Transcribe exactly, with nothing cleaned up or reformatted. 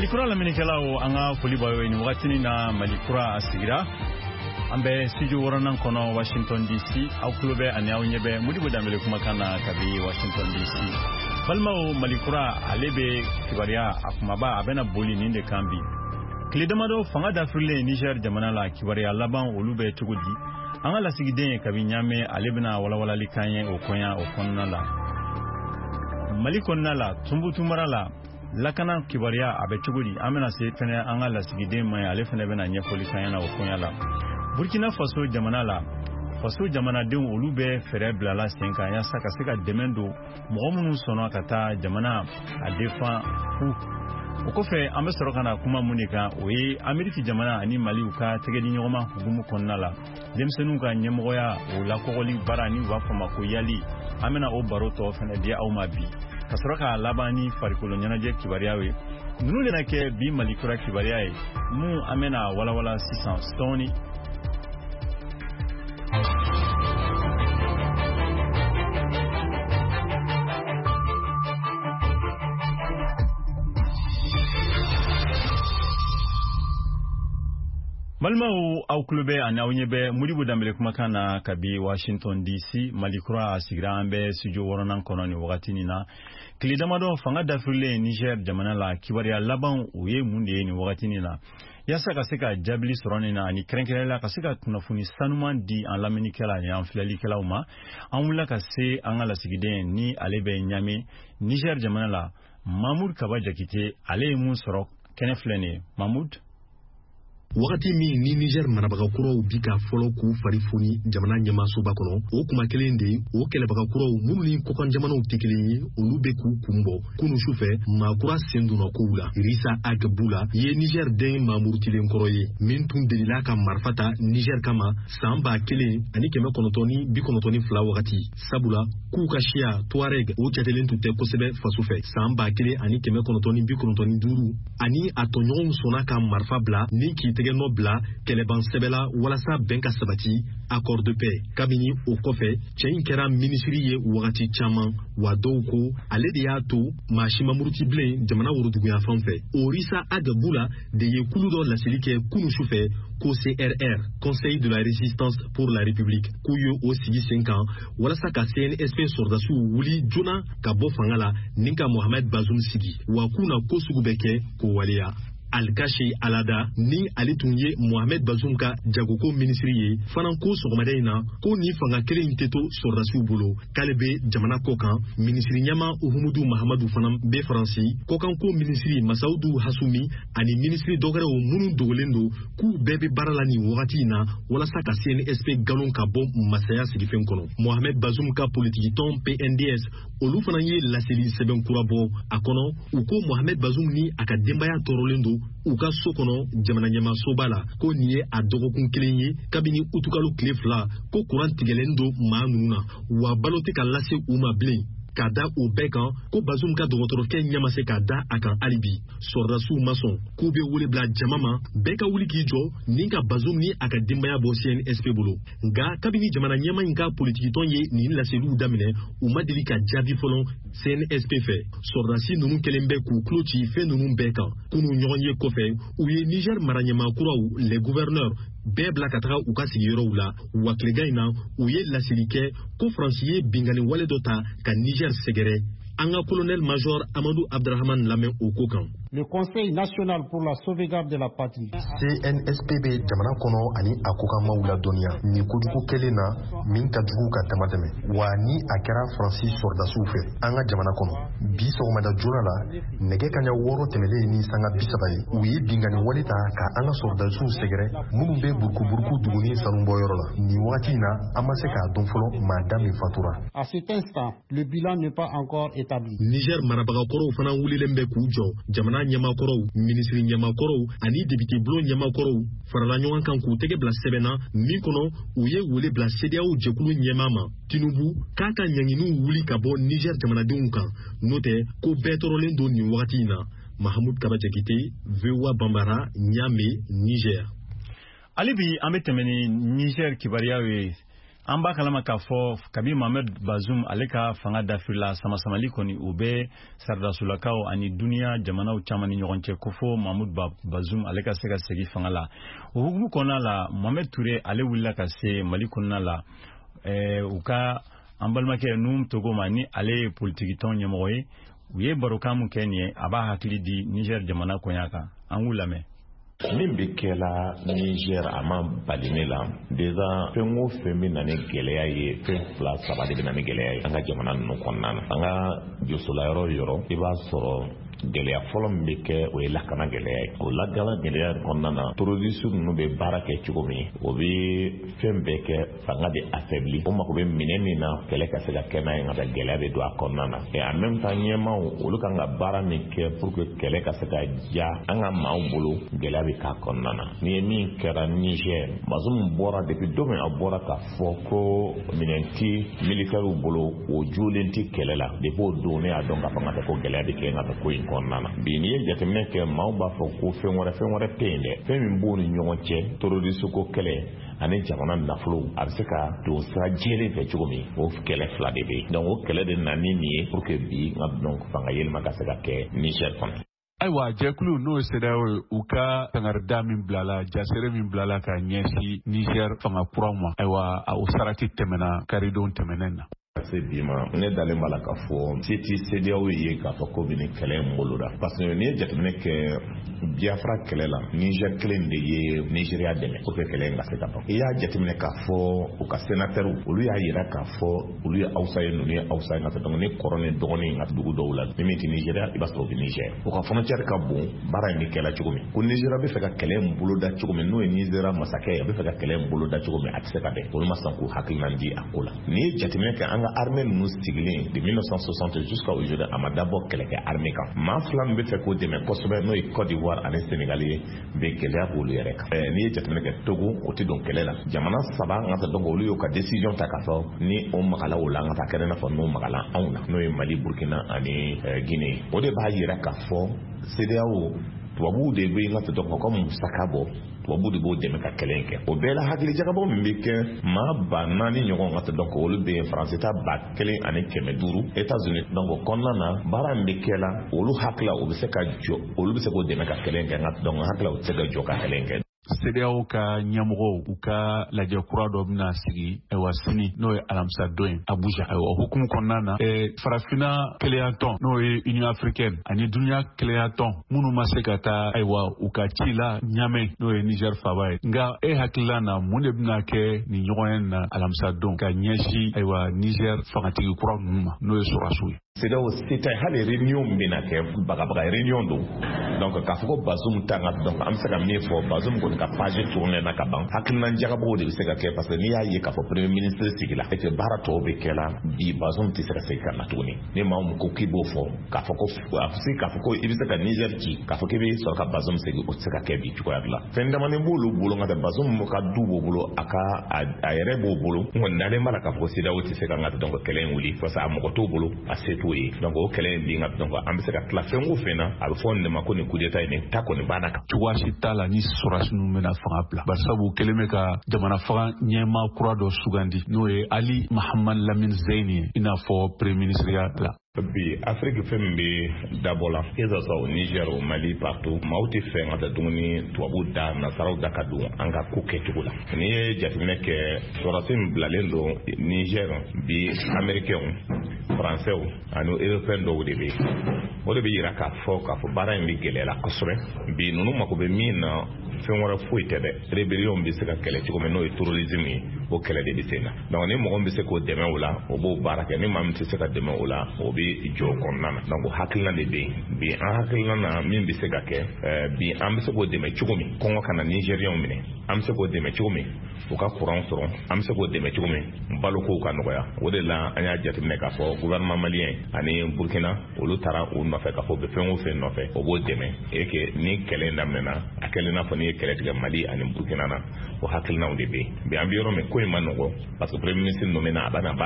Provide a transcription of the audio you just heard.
Malikura lamɛnnikɛlaw, an ka foli b'aw ye nin wagatinin na. Malikura a sigira, an bɛ studio wɔɔrɔnan kɔnɔ Washington D C. Aw tulo bɛ ani aw ɲɛ bɛ Modibo Danbele kumakan na kabi Washington D C. Balimaw, Malikura ale bɛ kibaruya a kumaba a bɛna boli nin de kan bi. Tile damadɔ fanga dafirilen Niger jamana la, kibaruya laban olu bɛ cogo di? An ka lasigiden kabi Ɲame, ale bɛna walawalali kan ye o kɔɲa o kɔnɔna la. Mali kɔnɔna la, Tunbutu mara la, lakana kibaruya a bɛ cogo di? An bɛna se fɛnɛ an ka lasigiden ma ye, ale fɛnɛ bɛna ɲɛfɔli kan ɲɛna o koɲa la. Burkina Faso jamana la, faso jamanadenw olu bɛ fɛɛrɛ bilala sen kan yaasa ka se ka dɛmɛ don mɔgɔ minnu sɔnna ka taa jamana a defan fu. O kɔfɛ, an bɛ sɔrɔ ka na kuma mun de kan? O ye Ameriki jamana ani Maliw ka tɛgɛdiɲɔgɔnma hukumu kɔnɔna la, denmisɛnninw ka ɲɛmɔgɔya o lakɔgɔli baara ni u b'a fɔ ma ko YALI. An bɛna o baro tɔ fɛnɛ di aw ma bi, ka sɔrɔ k'a laban ni farikolo ɲɛnajɛ kibaruya ye. Ninnu de na kɛ bi Malikura kibaruya ye mun an bɛna walawala sisan sɔɔni. Balimaw, aw tulo bɛ ani aw ɲɛ bɛ Modibo Danbele kumakan na kabi Washington D C. Malikura a sigira, an bɛ studio wɔɔrɔnan kɔnɔ nin wagatinin na. Tile damadɔ fanga dafirilen Niger jamana la, kibaruya laban o ye mun de ye nin wagatinin na? Yaasa ka se ka jaabili sɔrɔ nin na, ani kɛrɛnkɛrɛnnenya ka se ka kunnafoni sanuman di an lamɛnnikɛla ani an filɛlikɛlaw ma, an wulila ka se an ka lasigiden ni ale bɛ Ɲame, Niger jamana la, Mahmoud Kaba Jakite. Ale ye mun sɔrɔ kɛnɛ filɛ nin ye. Mahmoud. Wagati min ni Niger marabaga kuraw bi ka fɔlɔ k'u fari foni jamana ɲɛmasoba kɔnɔ, o kuma kelen de, o kɛlɛbaga kuraw minnu ni kɔkan jamanaw tɛ kelen ye, olu bɛ k'u kun bɔ. Kunu sufɛ, maa kura sen donna kow la. Risa Ag Bula ye Niger den maamurutilen kɔrɔ ye min tun delila ka marifa ta Niger kama san ba kelen ani kɛmɛ kɔnɔntɔn ni bi kɔnɔntɔn ni fila wagati, sabula k'u ka siya Tuareg o jatelen tun tɛ kosɛbɛ faso fɛ. San ba kelen ani kɛmɛ kɔnɔntɔn ni bi kɔnɔntɔn ni duuru, ani a tɔɲɔgɔnw sɔnna ka marifa bila ni k'i tɛgɛ nɔ bila kɛlɛban sɛbɛ la walasa bɛn ka sabati, accord de paix. Kabini o kɔfɛ, cɛ in kɛra minisiri ye wagati caman, wa dɔw ko ale de y'a to maa si ma muruti bilen jamana woroduguyanfan fɛ. O Risa Ag Bula de ye kulu dɔ laseli kɛ kunu sufɛ ko C R R, Conseil de la résistance pour la République, k'u ye o sigi sen kan walasa ka C N S P sɔrɔdasiw wuli joona ka bɔ fanga la ni ka Mohamed Bazoum sigi, wa k'u na ko sugu bɛɛ kɛ k'o waleya. Alkashi Alada, ni ale tun ye Mohamed Bazoum ka jagoko minisiri ye fana, ko sɔgɔmada in na ko ni fanga kelen in tɛ to sɔrɔdasiw bolo, k'ale bɛ jamana kɔ kan. Minisiri ɲɛma Uhumudu Mahamadu fana bɛ Faransi. Kɔkanko minisiri Masaudu Hasumi ani minisiri dɔwɛrɛw minnu dogolen don, k'u bɛɛ bɛ baara la nin wagati in na walasa ka C N S P galon ka bɔ masaya sigifɛn kɔnɔ. Mohamed Bazoum ka politikitɔn P N D S, olu fana ye laseli sɛbɛn kura bɔ. A kɔnɔ, u ko Mohamed Bazoum ni a ka denbaya tɔɔrɔlen don u ka so kɔnɔ jamana ɲɛmasoba la, ko nin ye a dɔgɔkun kelen ye kabini utukalo tile fila ko kuran tigɛlen don maa ninnu na, wa balo tɛ ka lase u ma bilen. Ka da o bɛɛ kan, ko Bazum ka dɔgɔtɔrɔkɛ ɲɛ ma se ka da a kan hali bi. Sɔrɔdasiw ma sɔn, k'u bɛ wele bila jama ma, bɛɛ ka wuli k'i jɔ ni ka Bazum ni a ka denbaya bɔ C N S P bolo. Nka kabini jamana ɲɛma in ka politikitɔn ye nin laseliw daminɛ, u ma deli ka jaabi fɔlɔ C N S P fɛ. Sɔrɔdasi ninnu kɛlen bɛ k'u tulo ci fɛn ninnu bɛɛ kan. Kunu ɲɔgɔn ye kɔfɛ, u ye Niger mara ɲɛmaa kuraw, les gouverneurs, bɛɛ bila ka taga u ka sigiyɔrɔw la. Wa tilegan in na, u ye laseli kɛ ko Faransi ye binkanni wale dɔ ta ka Niger sɛgɛrɛ. An ka colonel major Amadou Abdrahman lamɛn o ko kan. Le Conseil national pour la sauvegarde de la patrie. C N S P bɛ jamana kɔnɔ ani a kokanmaw ladɔnniya nin kojugu kɛlen na min ka jugu ka dama tɛmɛ, wa ni a kɛra Faransi sɔrɔdasiw fɛ an ka jamana kɔnɔ. Bi sɔgɔmada joona la, nɛgɛ kaɲa wɔɔrɔ tɛmɛlen ni sanga bi saba ye, u ye binkanni wale ta ka an ka sɔrɔdasiw sɛgɛrɛ minnu bɛ Burukuburuku duguni sanubɔyɔrɔ la. Nin wagati in na, an ma se k'a dɔn fɔlɔ maa da min fatura. À cet instant, le bilan n'est pas encore établi. Niger marabagakɔrɔw fana wulilen bɛ k'u jɔ. Jamana ɲɛmakɔrɔw, minisiri ɲɛmakɔrɔw ani depite bulon ɲɛmakɔrɔw farala ɲɔgɔn kan k'u tɛgɛ bila sɛbɛn na min kɔnɔ, u ye wele bila CEDEAO jɛkulu ɲɛmaa ma, Tinubu, k'a ka ɲanginiw wuli ka bɔ Niger jamanadenw kan, n'o tɛ ko bɛɛ tɔɔrɔlen don nin wagati in na. Mahamud Kaba Jakite, V O A Banbara, Ɲame, Niger. Hali bi an bɛ tɛmɛ ni Niger kibaruyaw ye. An b'a kalama k'a fɔ kabi Mohamed Bazoum ale ka fanga dafirila, samasamali kɔni o bɛ saradasolakaw ani duniya jamanaw caman ni ɲɔgɔn cɛ, ko fo Mahmoud Bazoum ale ka se ka segin fanga la. O hukumu kɔnɔna la, Mohamed Touré ale wulila ka se Mali kɔnɔna la, ɛɛ u ka an balimakɛ Nouhoum Togo ma, ni ale ye politikitɔn ɲɛmɔgɔ ye. U ye barokan mun kɛ nin ye, a b'a hakili di Niger jamana koɲa kan. An k'u lamɛn. Min bɛ kɛla Niger, a ma bali ne la. Déjà, fɛn o fɛn bɛ na ni gɛlɛya ye, fɛn fila saba de bɛ na ni gɛlɛya ye an ka jamana ninnu kɔnɔna na. An ka josola yɔrɔ o yɔrɔ, i b'a sɔrɔ gɛlɛya fɔlɔ min bɛ kɛ, o ye lakana gɛlɛya ye. O lakana gɛlɛya kɔnɔna na, terroriste ninnu bɛ baara kɛ cogo min, o bɛ fɛn bɛɛ kɛ fanga bɛ affaibli. O mako bɛ minɛ min na kɛlɛ ka se ka kɛ n'a ye, nka gɛlɛya bɛ don a kɔnɔna na. Et en même temps, ɲɛmaaw olu kan ka baara min kɛ pour que kɛlɛ ka se ka diya an ka maaw bolo, gɛlɛya bɛ k'a kɔnɔna na. N'i ye min kɛra Niger, Bazoum bɔra, depuis don min a bɔra k'a fɔ ko minɛn ti militaires bolo, o jolen ti kɛlɛ la, depuis o don ne y'a dɔn k'a fɔ n ka ko gɛlɛya bɛ kɛ n ka ko in kɔnɔna na. Bi, n'i ye jateminɛ kɛ, maaw b'a fɔ ko fɛn wɛrɛ, fɛn wɛrɛ tɛ yen dɛ. Fɛn min b'o ni ɲɔgɔn cɛ, terroriste ko kɛlɛ ani jamana nafolo a bɛ se ka don sira jɛlen fɛ cogo min, o kɛlɛ fila de bɛ yen. Donc o kɛlɛ de nana ni nin ye pour que bi n ka donc fanga yɛlɛma ka se ka kɛ Niger kɔnɔ. Ayiwa, jɛkulu n'o ye CEDEAO ye, u ka kangarida min bilala, jasere min bilala ka ɲɛsin Niger fanga kuraw ma, ayiwa, o sarati tɛmɛna karidon tɛmɛnen na. Ka se bi ma, ne dalen b'a la k'a fɔ se ti CEDEAO ye k'a fɔ ko bɛ nin kɛlɛ in boloda, parce que n'i ye jateminɛ kɛ Biafra kɛlɛ la, Niger kelen de ye Nigeria dɛmɛ pour que kɛlɛ in ka se ka ban. I y'a jateminɛ k'a fɔ u ka sénateur, olu y'a yira k'a fɔ olu ye Hausa ye, ninnu ye Hausa ye, nka donc ni kɔrɔ ni dɔgɔnin ka dugu dɔw la, ni min tɛ Nigeria, i b'a sɔrɔ o bɛ Niger. U ka frontière ka bon. Baara in bɛ kɛla cogo min, ko Nigeria bɛ fɛ ka kɛlɛ in boloda cogo min, n'o ye Nigeria masakɛ ye, a bɛ fɛ ka kɛlɛ in boloda cogo min, a tɛ se ka bɛn. Olu ma sɔn k'u hakilina di a ko la. N'i ye jateminɛ kɛ, an ka armée ninnu sigilen de mille neuf cent soixante jusqu'à aujourd'hui, a ma dabɔ kɛlɛkɛ armée kan. Maa fila min bɛ fɛ k'o dɛmɛ kosɛbɛ, n'o ye Côte d'Ivoire ani Sénégal ye, bɛ gɛlɛya b'olu yɛrɛ kan. N'i ye jateminɛ kɛ, Togo, o tɛ don kɛlɛ la. Jamana saba n ka donc olu y'u ka décision ta k'a fɔ ni o magala o la, an ka taa kɛnɛ, n'a fɔ n'o magala anw na, n'o ye Mali, Burkina ani Guinée. O de b'a yira k'a fɔ CEDEAO, tubabuw de bɛ n ka dɔn ka musaka bɔ, tubabu de b'o dɛmɛ ka kɛlɛ in kɛ. O bɛɛ la, hakili jagabɔ min bɛ kɛ, maa ba naani ɲɔgɔn ka dɔn olu bɛ yen, Faransi ta ba kelen ani kɛmɛ duuru, États-Unis. Donc o kɔnɔna na, baara min bɛ kɛ la, olu hakili o bɛ se ka jɔ, olu bɛ se k'o dɛmɛ ka kɛlɛ in kɛ, nka donc hakili o tɛ se ka jɔ ka kɛlɛ in kɛ. CEDEAO ka ɲɛmɔgɔw, u ka lajɛ kura dɔ bɛna sigi, ayiwa, sini, n'o ye alamisa don ye, Abuja. Ayiwa, hukumu kɔnɔna na, Farafina kelenyatɔn, n'o ye Union africaine, ani duniya kelenyatɔn minnu ma se ka taa, ayiwa, u ka ci la Ɲamɛ, n'o ye Niger faba ye. Nka e hakilila na, mun de bɛna kɛ nin ɲɔgɔn na alamisa don ka ɲɛsin, ayiwa, Niger fangatigi kura ninnu ma, n'o ye sɔrɔsiw ye? CEDEAO se tɛ. Hali réunion min bɛna kɛ, bagabaga réunion don. Donc k'a fɔ ko Bazoum ta ka, donc an bɛ se ka min fɔ, Bazoum kɔni ka page tourné na ka ban. Hakilina jagabɔw de bɛ se ka kɛ, parce que n'i y'a ye k'a fɔ premier ministre sigila et que baara tɔw bɛ kɛ la bi, Bazoum tɛ se ka segin ka na tuguni. Ni maa min ko k'i b'o fɔ k'a fɔ ko a bɛ se k'a fɔ ko i bɛ se ka Niger ci k'a fɔ k'i bɛ sɔrɔ ka Bazoum segin, o tɛ se ka kɛ bi cogoya dɔ la. Fɛn damanin b'olu bolo, nka tɛ Bazoum ka du b'o bolo, a ka a yɛrɛ b'o bolo. N kɔni dalen b'a la k'a fɔ ko CEDEAO tɛ se ka n ka donc kɛlɛ in wuli, parce que a mɔgɔ t'o bolo, a se t'o ye. Donc o kɛlɛ in bin ka, donc an bɛ se ka tila fɛn o fɛn na, a bɛ fɔ nin de ma ko nin coup d'état in, nin ta kɔni banna kan. Cogoya si t'a la ni sɔrɔdasi ninnu bɛna fanga bila, barisabu kelen bɛ ka jamana faga ɲɛmaa kura dɔ sugandi, n'o ye Ali Mahamad Lamine Zeine ye, i n'a fɔ premier ministre ya la. Bi Afiriki, fɛn min bɛ dabɔ la, que ça soit au Niger, au Mali, partout, maaw tɛ fɛ ka taa dumuni tubabu da, nasaraw da ka don an ka ko kɛcogo la. N'i ye jateminɛ kɛ, sɔrɔdasi min bilalen don Niger bi, Américains, Français ani Européens dɔw de bɛ yen. O de bɛ yira k'a fɔ k'a fɔ baara in bɛ gɛlɛya la kosɛbɛ. Bi ninnu mako bɛ min na, fɛn wɛrɛ foyi tɛ dɛ, rébellion bɛ se ka kɛlɛ cogo min, n'o ye terrorisme ye, o kɛlɛ de bɛ sen na. Donc ni mɔgɔ min bɛ se k'o dɛmɛ o la, o b'o baara kɛ. Ni maa min tɛ se ka dɛmɛ o la, o bɛ jɔ o kɔnɔna na. Donc o hakilina de bɛ yen bi. An hakilina na, min bɛ se ka kɛ bi, an bɛ se k'o dɛmɛ cogo min kɔngɔ kana Nigériens minɛ, an bɛ se k'o dɛmɛ cogo min u ka courant sɔrɔ, an bɛ se k'o dɛmɛ cogo min balokow ka nɔgɔya. O de la an y'a jateminɛ k'a fɔ gouvernement malien ani Burkina, olu taara u nɔfɛ k'a fɔ u bɛ fɛn o fɛn nɔfɛ, o b'o dɛmɛ. Et que ni kɛlɛ in daminɛna, a kɛlen n'a fɔ n'i ye kɛlɛ tigɛ Mali ani Burkina na, o hakilinaw de bɛ yen bi. An bɛ yɔrɔ min, ko in ma nɔgɔ, parce que premier ministre nommé na, a bɛ na baara.